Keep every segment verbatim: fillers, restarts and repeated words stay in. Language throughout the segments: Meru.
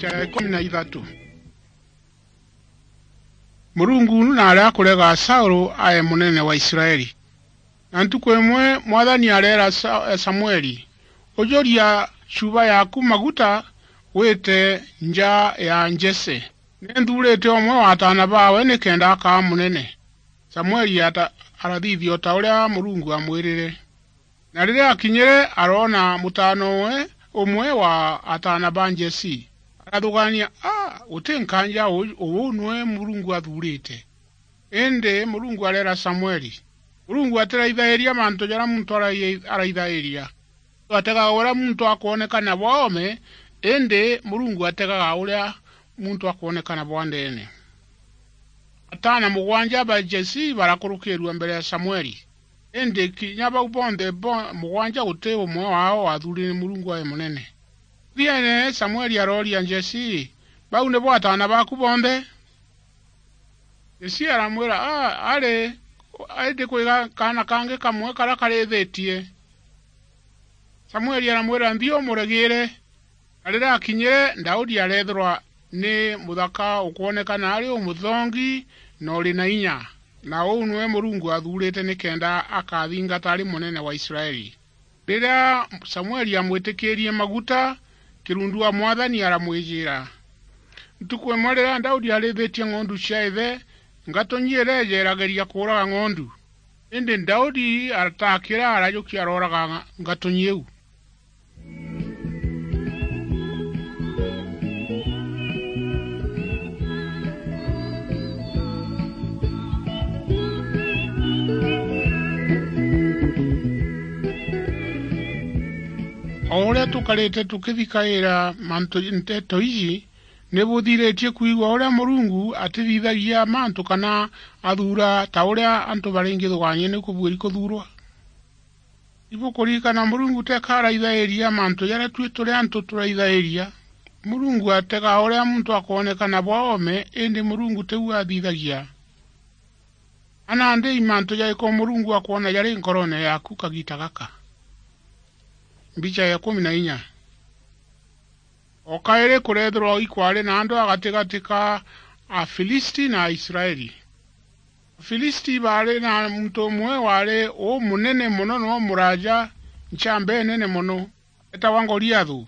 ya ikumi na ithatu. Murungu naarega kurega Saulu ae munene wa Israeli. Na ntuku imwe Mwathani areera Sa-, Samueli, "Ujuria chuba yaaku maguta, wite nja ya Jese. Ni nthuurite umwe wa ataana baawe nikenda akaa munene." Samueli ata-, arathithia o ta uria Murungu aamwirire. Na riria akinyire, aroona mutaana umwe, umwe wa ataana ba Jesi. Arathugania, "A, guti nkaanja uu, uu niwe Murungu athuurite." Indi Murungu areera Samueli, "Murungu atiraithairia mantu jaria muntu arai-, araithairia. Muntu ategaga uria muntu akwonekana bwa oome, indi Murungu ategaga uria muntu akwonekana bwa ndeene." Ataana mugwanja ba Jesi barakurukirua mbere ya Samueli, indi kinya bau bonthe bo-, mugwanja guti umwe waao waathuurire ni Murungu ae munene. Muthiene, Samueli arooria Jesi, "Bau nibo ataana baaku bonthe?" Jesi aramwira, "A, ari, indi kwi ga-, kaana kangi kamwe karia karithitie." Samueli aramwira, "Nthi umuregiire." Na riria akinyire, Daudi areethirwa ni muthaka ukwonekana ari umuthongi na uri na inya, na uu niwe Murungu athuurite nikenda akathingata ari munene wa Israeli. Riria Samueli aamwitikiirie maguta, kirundu wa Mwathani aramwijira. Ntuku imwe riria Daudi arithitie ng'ondu cia ithe, ngatunyi ireeja irageria kuuraga ng'ondu. Indi Daudi aratakira, arajukia arooraga ngatunyi iu. O uria tukarite tukithikaira mantu, nteto iji, ni buthiritie kwigua uria Murungu atithithagia mantu kana athuura ta uria antu baringithugaania ni kubuiri kuthuurwa. Ibukuririkana Murungu teka araithairia mantu jaria tui turi antu turaithairia. Murungu ategaa uria muntu akwonekana bwa oome, indi Murungu tiu athithagia. A nandi i mantu jariku Murungu akwona jari nkoroone yaaku kagiita gaka? Mbicha ya ikumi na inya. O kairi kureethirwa ikwari na antu a gatigati ka Afilisti na Aisraeli. Afilisti baari na muntu umwe waari umunene mono na umuraaja nchamba inene mono, eetagwa Goliathu.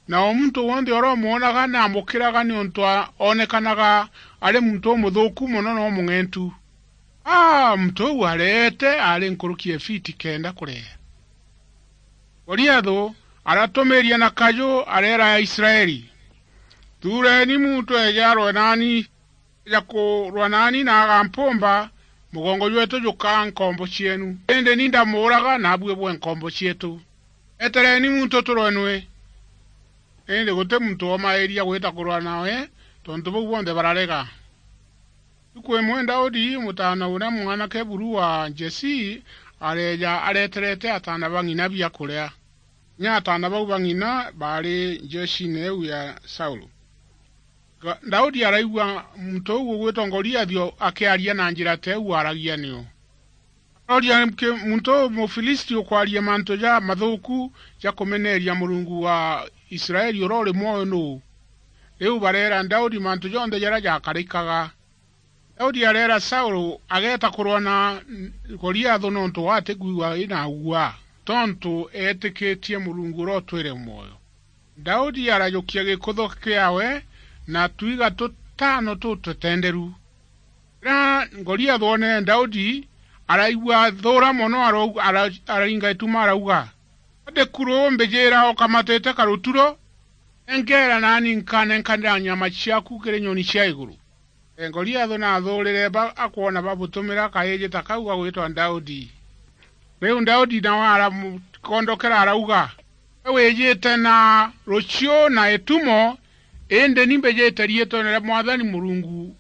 Na o muntu wonthe uria umwonaga ni aamukiraga niuntu a-, oonekanaga ari muntu umuthuuku mono na umung'entu. Aa, muntu uu areete aari nkuruki ya fiti kenda kureea. Goliathu aratumiiria na kaju, areera Aisraeli, "Thuureni muntu eeje arwe naani, eeja kurwa naani na agampumba, mugongo jweetu jukaa nkombo cieenu. Indi ni ndamuuraga, naabui bwe nkombo cieetu. Etereeni muntu turwe nwe." Indi guti muntu woomairia gwita kurwa nawe, tontu bau bonthe bararega. Ntuku imwe Daudi, mutaana uria mwanake buru wa Jesi, areeja areterete ataana ba ng'ina biakuria. Kinya ataana bau ba ng'ina baari njeeciine iu ya Saulu. Ga-, Daudi araigua muntu uu ugwitwa Goliathi o-, akiaria na njira ta iu aaragia nio. Arooria, "Ki-, muntu uu Mufilisti ukwaria mantu ja mathuuku ja kumeneeria Murungu wa Israeli uria uri mwoyo nuu?" Riu bareera Daudi mantu jonthe jaria jakarikaga. Daudi areera Saulu ageeta kurwa na Goliathu nontu atikwigua ina guaa, tontu eetikitie Murungu uria utwire mwoyo. Daudi arajukia gikutho kiawe na twiga tutano tutetenderu. Riria Goliathu oonere Daudi, araigua thuura mono, arau-, ara-, araringa ituma, arauga, "Ati kuru umbijiira ukamatite karuturo? Enkeera naani nkanenkanira nyama ciaku kiri nyoni cia iguru." Ee, Goliathu naathuurire ba-, akwona babutumira kaiji ta kau gagwitwa Daudi. Riu Daudi nawe aramukondokera arauga, "We wijite na ruciu na itumo, indi ni mbijite riitwene ria Mwathani Murungu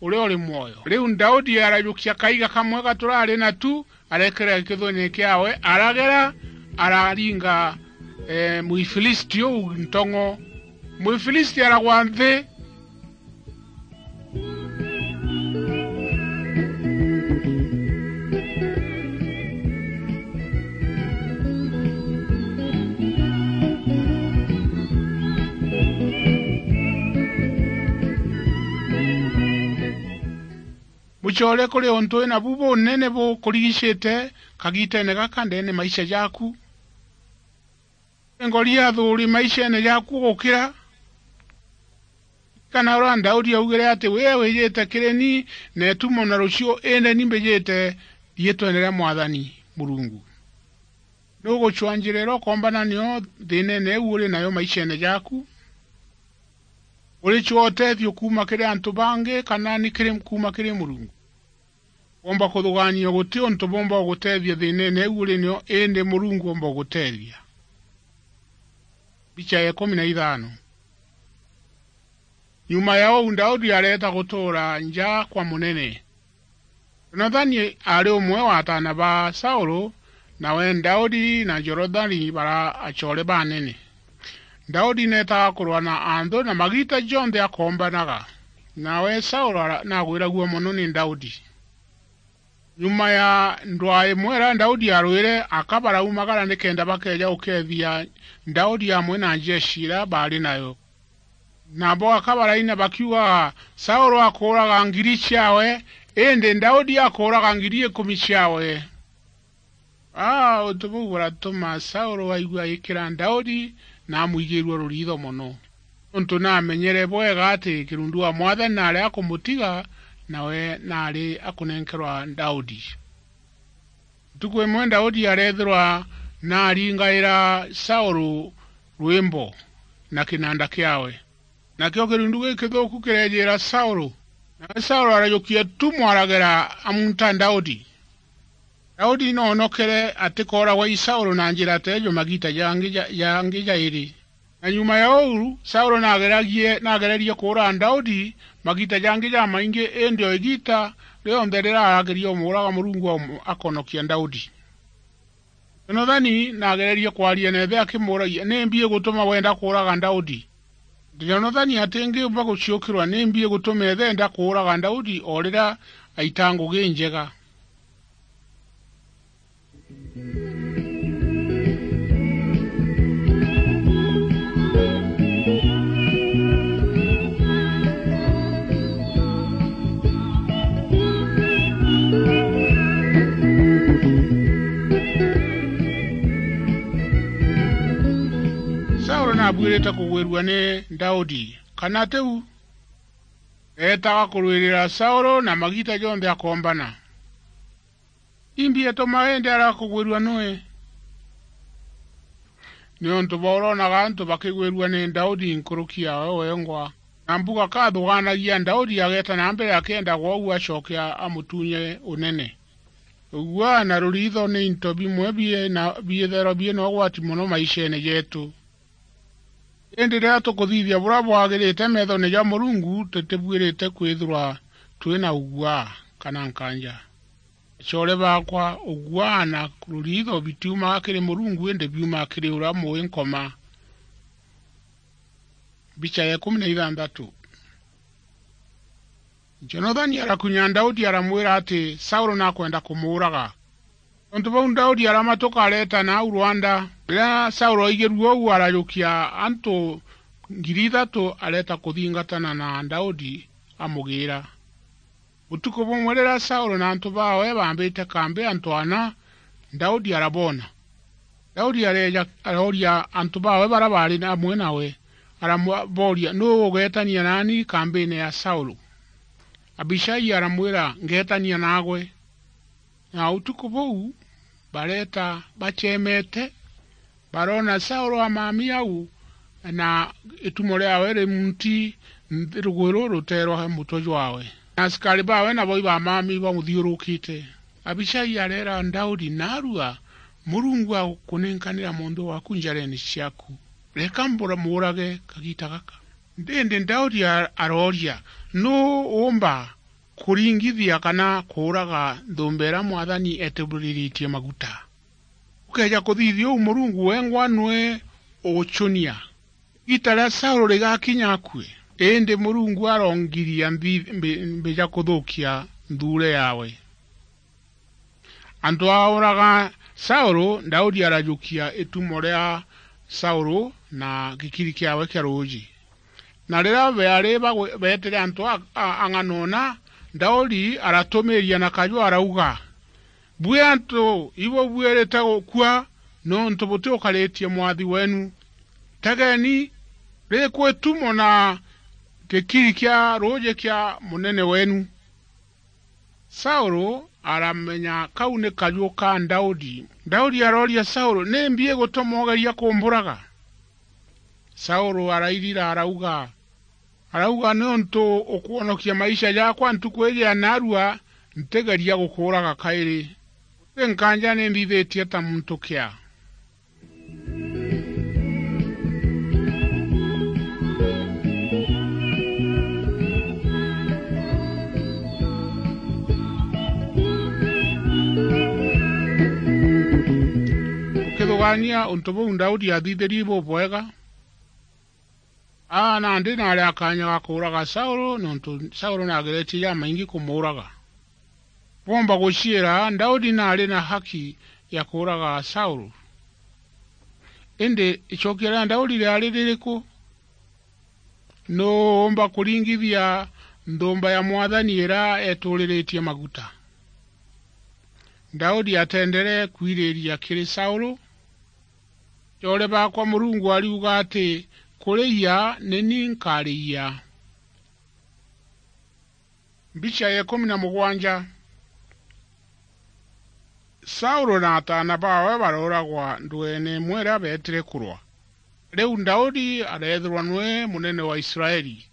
uria uri mwoyo." Riu Daudi arajukia kaiga kamwe gaturari na tu, arekera gikithuene kiawe, aragera, araringa, ee, Muifilisti uu ntong'o. Muifilisti aragwa nthi. Core kuri untu wina bu bunene bukurigicite kagitene gaka ndene maisha jaku. Ngori ya thuri maishene jaku gukira. Kana uria Daudi augire ati, "Wee wijite kiri ni na etumo na rucio, indi ni mbijite riitwene ria Mwathani Murungu." Nugucwa njira iria ukombana nio thiinene iu uri nayo maishene jaku? Uricwa utethio kuuma kiri antu bangi, kana ni kiri, kuuma kiri Murungu? Womba kuthugaania guti untu bumba ugutethia thiinene iu uri nio, indi Murungu omba ugutethia. Mbicha ya ikumi na ithano. Nyuma ya uu, Daudi areeta gutuura nja kwa munene. Jonathani aari umwe wa ataana ba Saulu, nawe Daudi na Jonathani bara acoore banene. Daudi neetaga kurwa na anthu, na magiita jonthe akoombanaga. Nawe Saulu ara-, naagwiragua mono ni Daudi. Nyuma ya ndwaa imwe iria Daudi aarwire, aka baraumagara nikenda bakeeja gukeethia Daudi amwe na njeshi iria baari nayo. Nabo aka baraina bakiugaga, "Saulu akuuraga ngiri ciaawe, indi Daudi akuuraga ngiri ikumi ciaawe." Aa, untu buu buratuma Saulu aigua aikira Daudi na amwigiirua ruriitho mono, nontu naamenyere bwega ati kirundu wa Mwathani naari akumutiga, nawe naari akunenkerwa Daudi. Ntuku imwe Daudi areethirwa naaringaira Saulu rwimbo na kinanda kiaawe. Nakio kirundu gikithuuku kireejiira Saulu, nawe Saulu arajukia tumo aragera amunta Daudi. Daudi noonokere atikooragwa i Saulu na njira teejo magiita jangi ja-, jangi jairi. Na nyuma ya uu, Saulu naageragie-, naagererie kuuraga Daudi magiita jangi jamaingi, indi o igiita rionthe riria arageria umuuraga, Murungu aum-, akonokia Daudi. Jonathani naagererie kwaria na ithe akimuuragia, "Nimbi igutuma wenda kuuraga Daudi?" Jonathani atingiumba guciukirwa nimbi igutuma ithe enda kuuraga Daudi o riria aita ngugi injega. Saulu naabuirite kugwirua ni Daudi, kana tiu? Eetaga kurwirira Saulu na magiita jonthe akoombana. Imbi ituma indi arakugwirua nui? Niuntu bwa uronaga antu bakigwirua ni Daudi nkuruki yaawe wengwa. Na mbuga kathugaanagia Daudi ageeta na mbere akienda gwou acoke a-, amutunye unene. Uguaa na ruriitho ni into bimwe bie na, biithairwa bie na ugwati mono maisheene jeetu. Indi riria tukuthithia buria bwagirite meethone ja Murungu, tutibuirite kwithirwa twi na uguaa kana nkaanja. Acoore baakwa, uguaa na ruriitho bitiumaga kiri Murungu, indi biumaga kiri uria mui nkoma. Mbicha ya ikumi na ithanthatu. Jonathani arakunya Daudi, aramwira ati Saulu nakwenda kumuuraga. Tontu bau, Daudi aramatuka areeta nau rwanda. Riria Saulu aigirue uu, arajukia antu ngiri ithatu areeta kuthingatana na Daudi amugiira. Utuku bumwe riria Saulu na antu baawe baambite kambi antu ana, Daudi araboona. Daudi areeja, arooria antu baawe baria baari amwe nawe, aramwa-, booria, "Nuu ugeetania naani kambiine ya Saulu?" Abishai aramwira, "Ngeetania naagwe." Na utuku buu bareeta baceemete, baroona Saulu amami au, na itumo riaawe ri munti nthi rugwiro ruteerwa mutwe jwaawe. Na asikari baawe nabo ibamami bamuthiurukite. Abishai areera Daudi, "Naarua, Murungu agukunenkanira munthe waaku njareene ciaaku. Reka mbura-, muurage kagiita gaka." Indi Daudi a-, arooria, "Nuu uumba kuringithia kana kuuraga nthuumba iria Mwathani eeturiritie maguta? Ukeeja kuthithia uu, Murungu wengwa nwe ugucunia." Igiita ria Saulu rigakinya akue, indi Murungu arongiria mbi-, mbi-, mbija kuthukia nthuure yaawe. Antu auraga Saulu, Daudi arajukia itumo ria Saulu na gikiri kiaawe kia ruuji. Na riria beari bagwe-, beetire antu a, a, ang'ana una, Daudi aratumiiria na kaju arauga, "Bui antu ibubuirite gukua, niuntu butiukaritie mwathi weenu. Tegeni, rikwi tumo na gikiri kia ruuji kia munene weenu." Saulu aramenya kau ni kaju ka Daudi. Daudi arooria Saulu, "Nimbi igutuma ugeria kumburaga?" Saulu arairira arauga, arauga, "Niuntu ukwonokia maisha jakwa ntuku iji ya naarua, ntigeria gukuuraga kairi. Guti nkanja ni nthithitie ta muntu kia." Ukithugania untu buu Daudi aathithirie bubwega, aa nandi naari a kaanya ga kuuraga Saulu, niuntu Saulu naageretie jamaingi kumuuraga. Bwomba guciira, Daudi naari na haki ya kuuraga Saulu. Indi icokia ria Daudi riari ririku? Nuu uumba kuringithia nthumba ya Mwathani iria eeturiritie maguta? Daudi atendere kwiriria kiri Saulu. Coore baakwa, Murungu ariuga ati, "Kuriia ni ni nkariia." Mbicha ya ikumi na mugwanja. Saulu na ataana baawe barooragwa ndweene imwe iria beetire kurwa. Riu Daudi areethirwa niwe munene wa Israeli.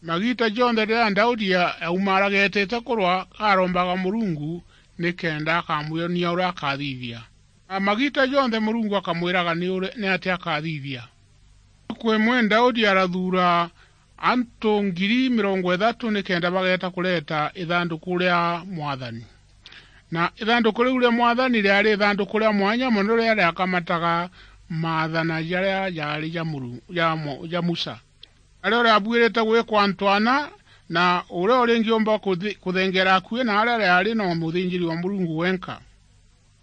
Magiita jonthe riria Daudi a-, aumaaragetete kurwa, arombaga Murungu nikenda akamwionia uria akathithia. Na magiita jonthe Murungu akamwiraga ni uri-, ni atia akathithia. Ntuku imwe Daudi arathuura antu ngiri mirongo ithatu nikenda bageeta kureeta ithanduku ria Mwathani. Na ithanduku riu ria Mwathani riaari ithanduku ria mwanya mono riria riakamataga maathana jaria jaari ja Muru-, ja Mo-, ja Musa. Nario riabuirite gwikwa antu ana, na uria uringiumba kuthi-, kuthengeera akui naaria riaari no muthinjiri wa Murungu wenka.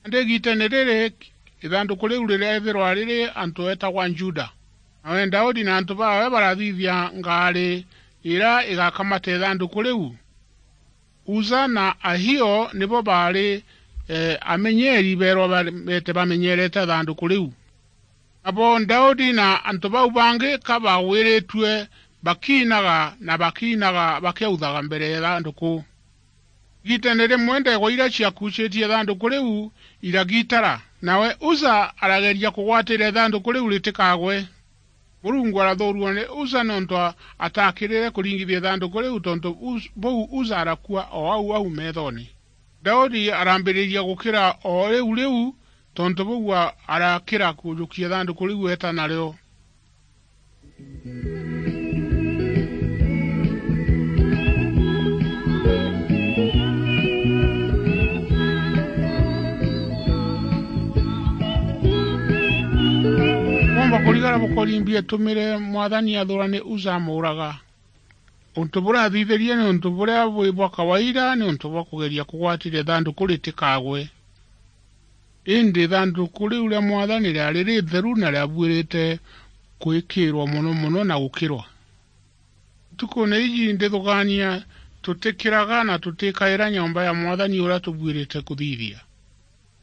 Nandi igiiteene riri, ithanduku riu rireethirwa riri antu eetagwa Juda. Nawe Daudi na antu baawe barathithia ngaari iria igakamata ithanduku riu. Uza na Ahio nibo baari, eh, amenyeeri beerwa ba-, beete bamenyeerete ithanduku riu. Nabo Daudi na antu bau bangi ka baagwiritue bakiinaga na bakiinaga bakiauthaga mbere ya ithanduku. Igiiteene rimwe, ndeegwa iria ciakuucitie ithanduku riu iragitara, nawe Uza arageria kugwatira ithanduku riu ritikagwe. Murungu arathuurua ni Uza niuntu a-, ataakirire kuringithia ithanduku riu, tontu Uz-, buu Uza arakua o au au meethoone. Daudi arambiriria gukira o riu riu, tontu buu a-, arakira kujukia ithanduku riu eeta nario. Bwomba kurigara bukori mbi etumire Mwathani athuurane Uza amuuraga. Untu buria athithirie ni untu buria bwi bwa kawaida, ni untu bwa kugeria kugwatira ithanduku ritikagwe. Indi ithanduku riu ria Mwathani riari ritheru na riabuirite gwikirwa mono mono na gukirwa. Ntukune iji ndithugaania, tutikiraga na tutikaira nyomba ya Mwathani uria tubuirite kuthithia.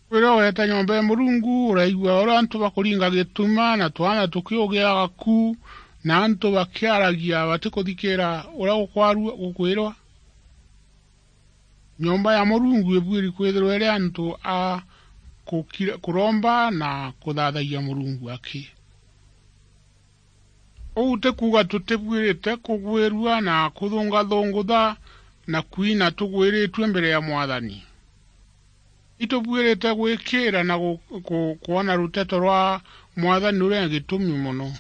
Kwithirwa weeta nyomba ya Murungu, uraigua uria antu bakuringa gituma, na twana tukiugiaga ku, na antu bakiaragia batikuthikiira uria gukwarua-, gukwirwa. Nyomba ya Murungu ibuiri kwithirwa iri antu a kukira-, kuromba na kuthathagia Murungu aki. Uu ti kuuga tutibuirite kugwirua na kuthungathungutha na kwina tugwiritue mbere ya Mwathani. Itubuirite gwikiira na gu-, ku-, kwona ruteto rwa Mwathani ruria gitumi mono.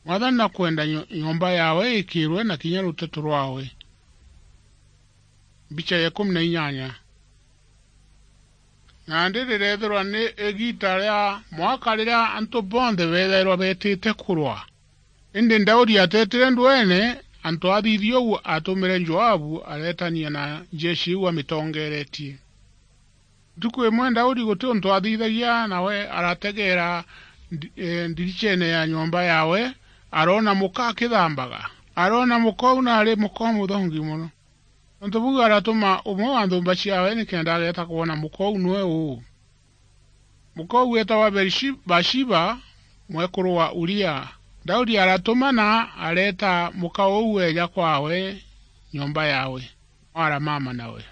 Mwathani akwenda nyo-, nyomba yawe ikirwe na kinya ruteto rwawe. Mbicha ya ikumi na inyanya. Nandi rireethirwa ni igiita ria mwaka riria antu bonthe beethairwa beetite kurwa. Indi Daudi ateetire ndweene, antu athithia uu atumire Joabu areetania na njeshi iu amitongeeretie. Ntuku imwe Daudi guti untu athithagia, nawe arategeera ndi-, e, ndiricheene ya nyomba yawe, aroona muka akithambaga. Aroona muka uu naari muka umuthongi mono. Tontu buu aratuma umwe wa nthumba ciawe nikenda ageeta kwona muka uu nwe uu. Muka uu weetagwa Berishi-, Bashiba, mwekuru wa Uria. Daudi aratumana areeta muka uu eeja kwaawe nyomba yaawe, aramama nawe.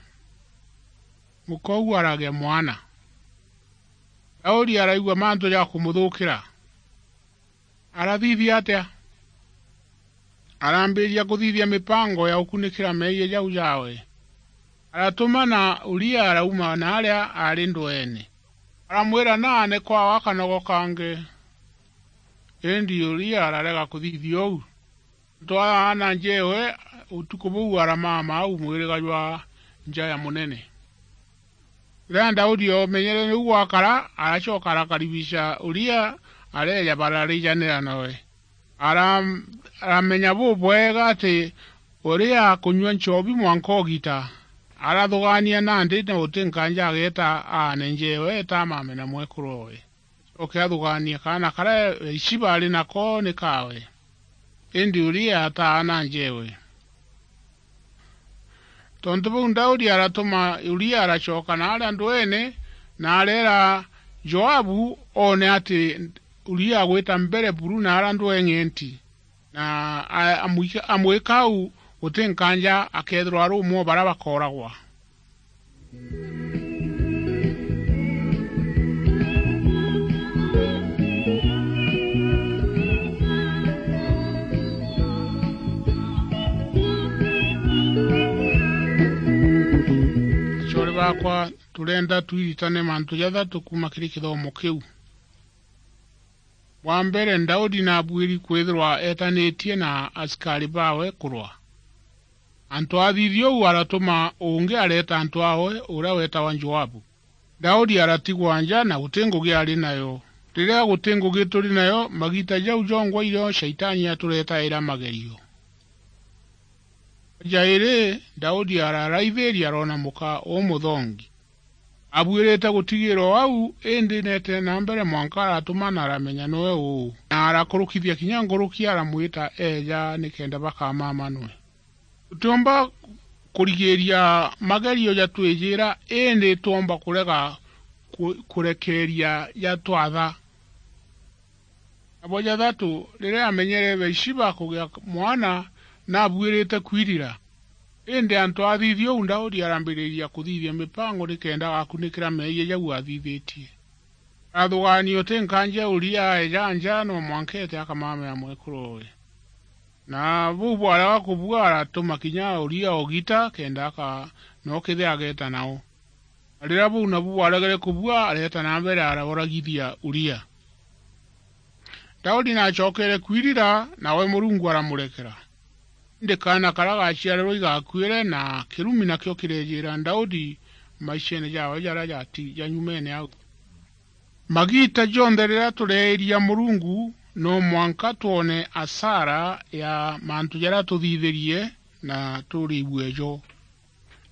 Muka uu aragea mwana. Daudi araigua mantu ja kumuthuukira. Arathithia atia? Arambiria kuthithia mipango ya gukunikira meeyia jau jaawe. Aratumana Uria arauma naaria aari ndweene. Aramwira naane kwaawe akanogo kangi. Indi Uria ararega kuthithia uu. Ntwaa aana njewe, utuku buu aramama au mwiriga jwa nja ya munene. Riria Daudi oomenyere niu gwakara, aracoka arakaribisha Uria, areeja bararijanira nawe. Ara-, aramenya bubwega ati Uria akunyua nchobi mwanka ugita. Arathugaania nandi na guti nkanja ageeta aane njewe eeta amame na mwekuru owe. Acoke athugaanie kaana karia Baishiba ari nako ni kaawe. Indi Uria ataana njewe. Tontu buu Daudi aratuma Uria aracoka naaria ndweene, na areera Joabu oone ati Uria agwita mbere buru naaria ndweng'enti, na a-, amwika-, amwika au guti nkanja akeethirwa ari umwe o baria bakooragwa. Acoore baakwa, turenda twiritane mantu jathatu kuuma kiri kithomo kiu. Bwa mbere, Daudi naabuiri kwithirwa eetanitie na asikari baawe kurwa. Antu athithia uu aratuma ungi areeta antu aawe, uria weetagwa Joabu. Daudi aratigwa nja na guti ngugi ari nayo. Riria guti ngugi turi nayo, magiita jau jongwa irio Shaitani aturetaira magerio. Jairi, Daudi araraithiria aroona muka umuthongi. Abuirite gutigirwa o au, indi neetire na mbere mwanka aratumana aramenya niwe uu, na arakurukithia kinya nkuruki aramwita eeja nikenda bakamamanwe. Tutiumba kurigiiria magerio jatwijira, indi twomba kurega ku-, kurekeeria jatwatha. Na bwa jathatu, riria amenyere Baishiba kugia mwana, naabuirite kwirira. Indi antu athithia uu, Daudi arambiriria kuthithia mipango nikenda agakunikira meeyia jau athithitie. Arathugaania uti nkanja Uria aeja nja, no mwanka eete akamamea mwekuru owe. Na buu bwarega kubua, aratuma kinya Uria ugita kenda aka-, no kethira ageeta nao. Na riria buu nabu bwaregere kubua, areeta na mbere arauragithia Uria. Daudi naacokere kwirira, nawe Murungu aramurekera. Indi kaana karia gaaciarirwe igakuire, na kirumi nakio kireejira Daudi maisheene jaawe jaria jati-, ja nyumeene au. Magiita jonthe riria tureeria Murungu, no mwanka twone asara ya mantu jaria tuthithirie na turiigue jo.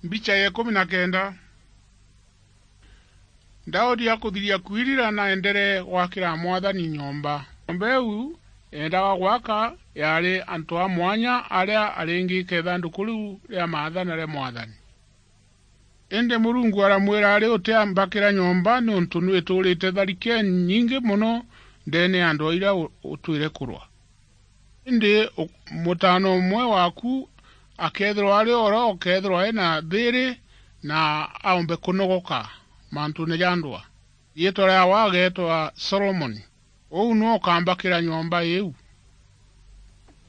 Mbicha ya ikumi na kenda. Daudi akuthiria kwirira, naendere gwakira Mwathani nyomba. Nyomba iu eendaga gwaka yaari antu a mwanya aria aringika ithanduku riu ria maathana ria Mwathani. Indi Murungu aramwira, ari utiambakira nyomba, niuntu nwiturite tharike nyingi mono ndeene ya antu aria u-, utwire kurwa. Indi u-, mutaana umwe waaku akeethirwa ari oro, ukeethirwa ena thiiri, na aumbe kunogoka mantuune ja ndwaa. Riitwa riaawe ageetwa Solomoni. Uu niwe ukambakira nyomba iu.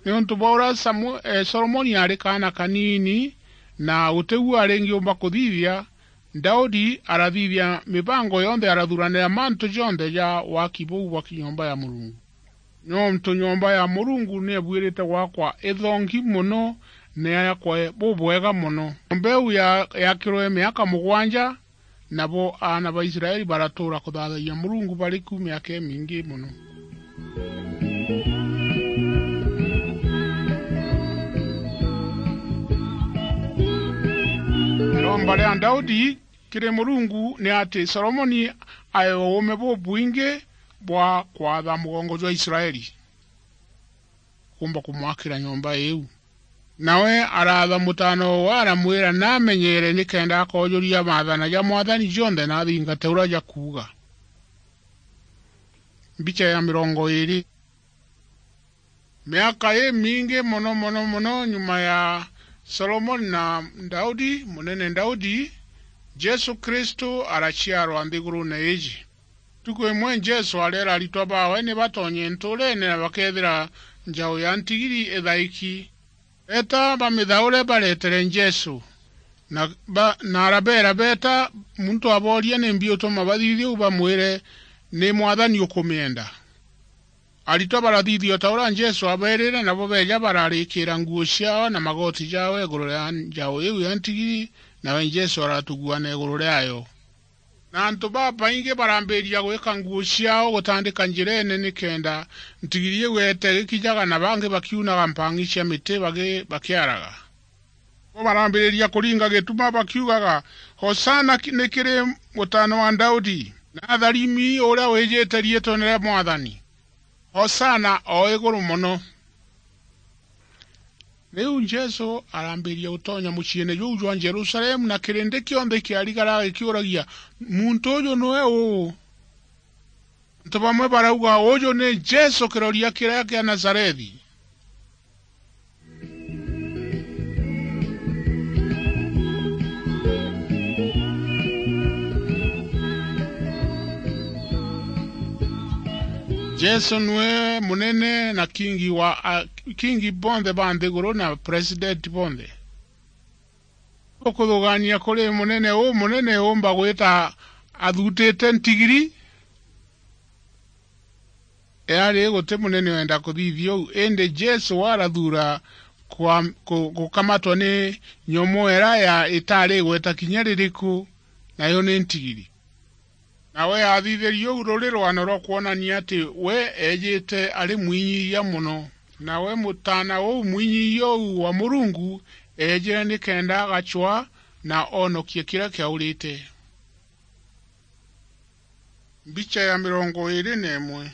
Niuntu bwa uria Samu-, eh, Solomoni aari kaana kaniini, na guti uu aringiumba kuthithia, Daudi arathithia mibango yonthe, arathuranira mantu jonthe ja waki buu bwa ki-, nyomba ya Murungu. Niuntu nyomba ya Murungu niebuirite gwakwa ithongi mono, na yakwe bubwega mono. Nyomba iu ya-, yaakirwe miaka mugwanja, nabo aana ba Israeli baratuura kuthaathagia Murungu bari ku miaka imingi mono. Iromba ria Daudi kiri Murungu ni ati Solomoni aewe uume bubwingi bwa kwatha mugongo jwa Israeli, kuumba kumwakira nyomba iu. Nawe araatha mutaana uu, aramwira namenyeere nikenda akoojuria maathana ja Mwathani jonthe na athingate uria jakuuga. Mbicha ya mirongo iiri. Miaka imingi mono, mono, mono nyuma ya Solomoni na Daudi, munene Daudi, Jesu Kristu araciarwa nthiguruune iiji. Ntuku imwe Jesu areera aritwa baawe ni batonye ntuureene na bakeethira njau ya ntigiri ithaiki. Beeta bamithaure baretere Jesu, na, ba, na arabeera beeta, muntu abooria nimbi utuma bathithia uu, bamwire, "Ni Mwathani ukumienda." Aritwa barathithia o ta uria Jesu abeerire, nabo beeja bararikiira nguo ciaao na magooti jaao iguru ria njau iu ya ntigiri, nawe Jesu aratuguana iguru riayo. Na antu babaingi barambiria gwika nguo ciaao gutandika njireene nikenda ntigiri iu eete igikijaga, na bangi bakiunaga mpang'i cia miti bagi-, bakiaraga. Bo barambiriria kuringa gituma bakiugaga, "Hosana ki-, ni kiri Mutaana wa Daudi! Na atharimi uria wijite riitwene ria Mwathani! Hosana o iguru mono!" Riu Jesu arambiria gutonya muciine juu jwa Jerusalemu, na kirindi kionthe kiarigara gikiuragia, "Muntu uju niwe uu?" Antu bamwe barauga, "Uju ni Jesu kiroria kiria kia Nazarethi." Jesu niwe munene na kingi wa a-, kingi bonthe ba nthiguru na president bonthe. Ukuthugaania kuri munene uu munene uumba gwita athutite ntigiri? Eari guti munene wenda kuthithia uu, indi Jesu arathuura kwa-, ku-, gukamatwa ni nyomoo iria ya-, itaari igweta kinya ririku, nayo ni ntigiri. Nawe aathithirie uu ruri rwano rwa kwonania ati we eejite ari mwinyiyia mono. Nawe mutaana uu mwinyiyia uu wa Murungu eejire nikenda agacwaa na oonokie kiria kiaurite. Mbicha ya mirongo iiri na imwe.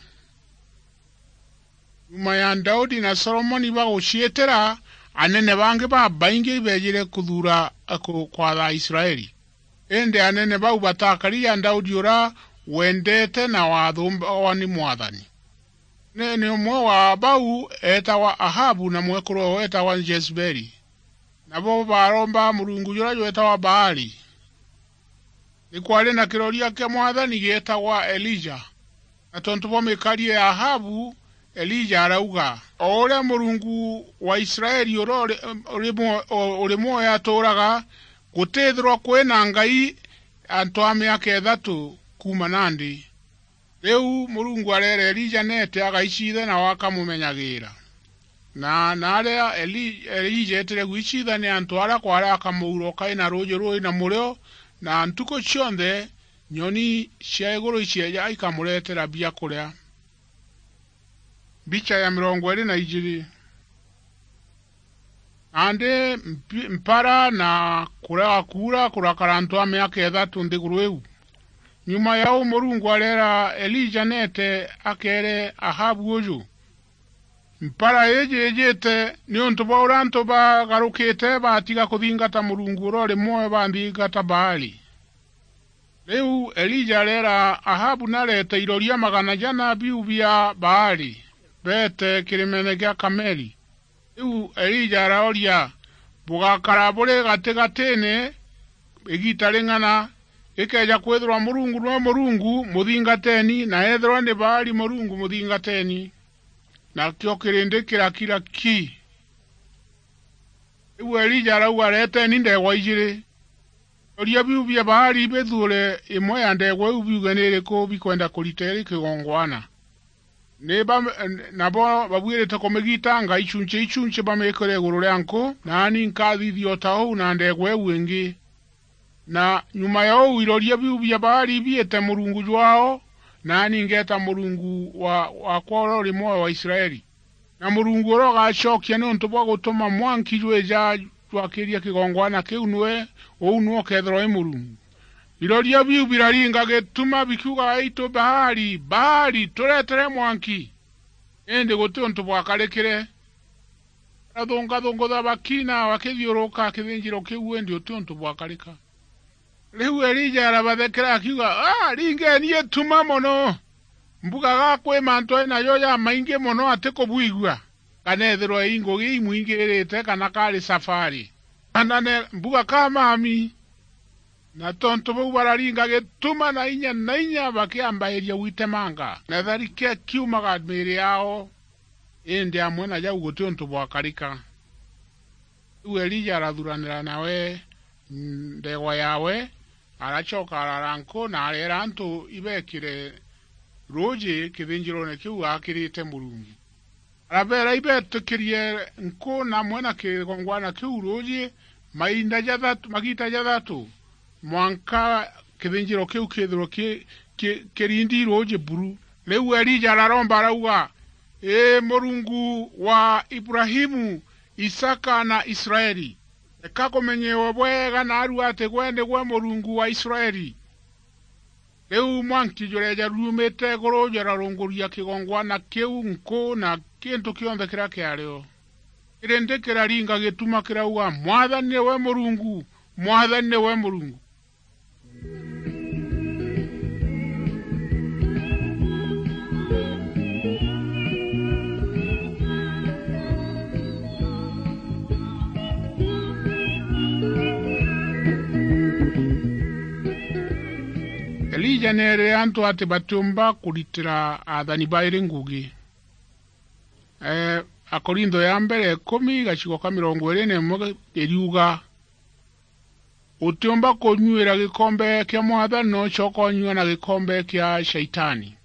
Nyuma ya Daudi na Solomoni baguciitira, anene bangi babaingi beejire kuthuura ku-, kwatha Israeli. Indi anene bau batakari ja Daudi uria wendeete na wathumbawa ni Mwathani. Munene umwe wa bau eetagwa Ahabu na mwekuru weetagwa Jezebeli. Nabo baaromba murungu juria jweetagwa Baali. Ni kwaari na kiroria kia Mwathani gieetagwa Elija. Na tontu bwa mikarie ya Ahabu, Elija arauga, "O uria Murungu wa Israeli uria uri, uri mwo-, o-, uri mwoyo atuuraga, gutithirwa kwi na Ngai antu a miaka ithatu kuuma nandi." Riu Murungu areera Elija neete agaicithe, nawe akamumenyagiira. Na, na aria Eli-, Elija eetire gwicitha ni antu aria kwaari akamuura ukai na ruuji rui na murio, na ntuku cionthe nyoni cia iguru icieeja ikamureetera biakuria. Mbicha ya mirongo iiri na ijiiri. Nandi mpi-, mpara na kurega kuura kurakara antu a miaka ithatu nthiguru iu. Nyuma ya uu, Murungu areera Elija neete akeere Ahabu uju, "Mpara iiji iijite niuntu bwa uria antu bagarukite baatiga kuthingata Murungu uria uri mwoyo, banthingata Baali." Riu Elija areera Ahabu nareete iroria magana jana biu bia Baali, beete kirimeene gia Kameli. Riu Elija arooria, "Bugakara buri gatigatiine igiita ring'ana? Ikeeja kwithirwa Murungu niwe Murungu, muthingateeni, na ethirwa ni Baali murungu, muthingateeni." Nakio kirindi kirakira ki. Riu Elija arauga, "Reteeni ndeegwa ijiiri. Iroria biu bia Baali bithuure imwe ya ndeegwa iu biuge ni iriku bikwenda kurita iri kigongwana." Ni ba-, nabo babuirite kumigitanga ichunchi ichunchi bamikire iguru ria nku, naani nkathithia o ta uu na ndeegwa iu ingi. Na nyuma ya uu, iroria biu bia Baali biite murungu jwaao, naani ngeeta murungu wa-, waakwa uria uri mwoyo wa Israeli. Na Murungu uria ugacokia niuntu bwa gutuma mwanki jwija jwakiria kigongwana kiu niwe, uu niwe ukeethirwa wi Murungu. Iroria biu biraringa gituma bikiuga, "Aitu Baali, Baali, turetere mwanki!" Indi guti untu bwakarikire. Arathungathungutha bakina bakithiuruka kithinjiro kiu, indi uti untu bwakarika. Riu Elija arabathekera akiuga, "Ah, ringeni ituma mono! Mbugaga kwi mantu ari najo jamaingi mono atikubwigua, kana ethirwa i ngugi imwingirite, kana kari safari, kana ne mbuga ka mami." Na tontu bau bararinga gituma na inya na inya, bakiambairia gwitemanga, na tharike kiumaga miiri yao, indi amwe na jau guti untu bwakarika. Riu Elija arathuranira nawe ndegwa yawe, aracoka arara nku na areera antu ibekire ruuji kithinjirone kiu aakirite Murungu. Arabeera ibetikirie nku na amwe na kigongwana kiu ruuji mainda jathatu, magiita jathatu, mwanka kithinjiro kiu kithirwe ki-, ki-, kirindi ruuji buru. Riu Elija araromba arauga, "Ii Murungu wa Ibrahimu, Isaka na Israeli, reka kumenyewe bwega naarua ati gwe nigwe Murungu wa Israeli." Riu mwanki jureeja ruumite iguru jurarunguria kigongwana kiu nku na kintu kionthe kiria kiario. Kirindi kiraringa gituma kirauga, "Mwathani niwe Murungu! Mwathani niwe Murungu!" Elija neerire antu ati batiumba kuritira athani bairi ngugi. Ee, Akorintho ya mbere ikumi, gacigo ka mirongo iiri na imwe iriuga, "Utiumba kunyuira gikombe kia Mwathani na ucoka unyua na gikombe kia Shaitani.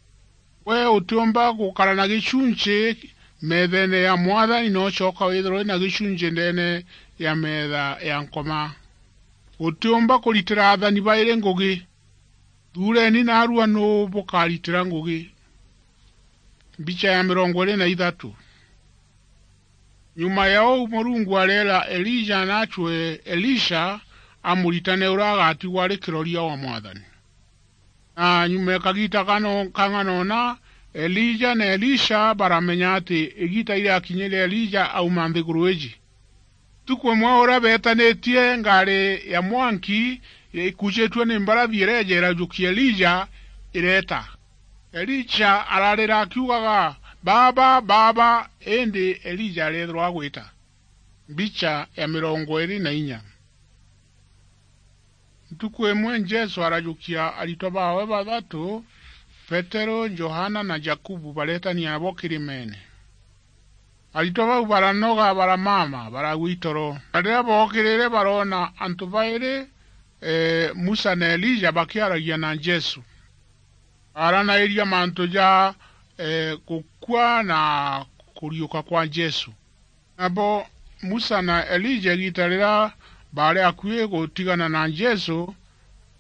We utiumba gukara na gicunci meethene ya Mwathani na ucoka withirwe uri na gicunci ndeene ya meetha ya Nkoma. Utiumba kuritira athani bairi ngugi. Thuureni naarua nuu bukaritira ngugi." Mbicha ya mirongo iiri na ithatu. Nyuma ya uu, Murungu areera Elija naacwe Elisha amuritane uria agatigwa ari kiroria wa Mwathani. Na nyuma ya kagiita kano-, kang'ana una, Elija na Elisha baramenya ati igiita irakinyire Elija auma nthiguru iji. Ntuku imwe uria beetanitie ngaari ya mwanki ikucitue ni mbarathi ireeja irajukia Elija ireeta. Elija ararira akiugaga, "Baaba, Baaba," indi Elija areethirwa agwita. Mbicha ya mirongo iiri na inya. Ntuku imwe Jesu arajukia aritwa baawe bathatu, Petero, Johana na Jakubu, bareetania nabo kirimeene. Aritwa bau baranoga, baramama, baragwa itoro. Na riria bookirire, baroona antu bairi, ee, Musa na Elija bakiaragia na Jesu. Baaranairia mantu ja, ee, gukua na kuriuka kwa Jesu. Nabo Musa na Elija, igiita riria baari akui gutigana na Jesu,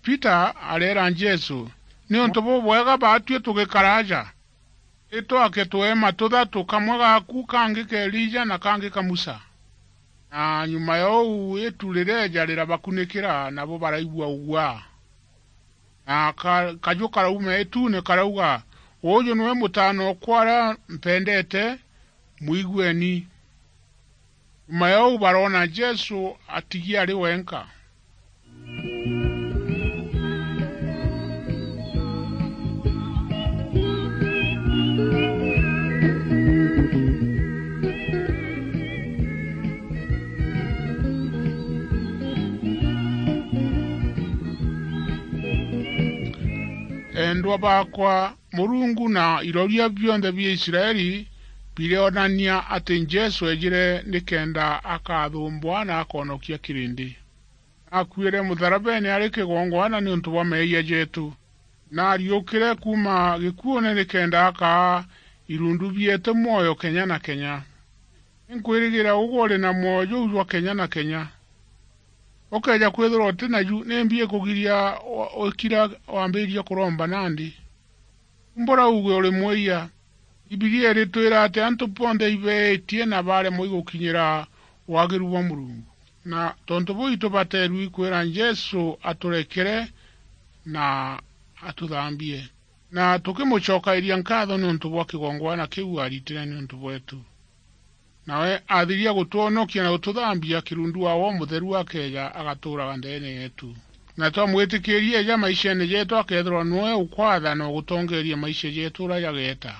Peter areera Jesu, "Niuntu bubwega baatui tugikara aja. Itwake tueema tuthatu, kamwe gaaku, kangi ka Elija, na kangi ka Musa." Na nyuma ya uu, itu rireeja rirabakunikira, nabo baraigua uguaa. Na ka-, kaju karauma ituune karauga, "Uuju niwe Mutaana okwa uria mpendete, mwigueni." Nyuma ya uu baroona Jesu atigi ari wenka. Endwa baakwa, Murungu na iroria bionthe bia Israeli bireonania ati Jesu eejire nikenda akathumbwa na akonokia kirindi. Akuire mutharabene ari kigongwana niuntu bwa meeyia jeetu, na ariukire kuuma gikuune nikenda akaa irundu bieetu mwoyo kenya na kenya. Inkwirigira ugwe uri na mwoyo juu jwa kenya na kenya. Ukeeja kwithirwa uti naju, nimbi ikugiria wa-, ukira wambiiria kuromba nandi? Umbura uuge uri mwiyia. Bibilia iritwira ati antu bonthe ibeetie na baremwa igukinyira waagiru bwa Murungu. Na tontu buu itubateerua ikwira Jesu aturekere na atuthambie, na tukimucokairia nkaatho niuntu bwa kigongwana kiu aritire niuntu bweetu. Nawe athiria gũtwonokia na gũtũthambia, kirundu wawe Umutheru akeeja, agatuuraga ndeene yeetu. Na twamwitikiiria eeja maisheene jeetu, akeethirwa niwe ukwatha na ugutongeeria maisha jeetu uria jageeta.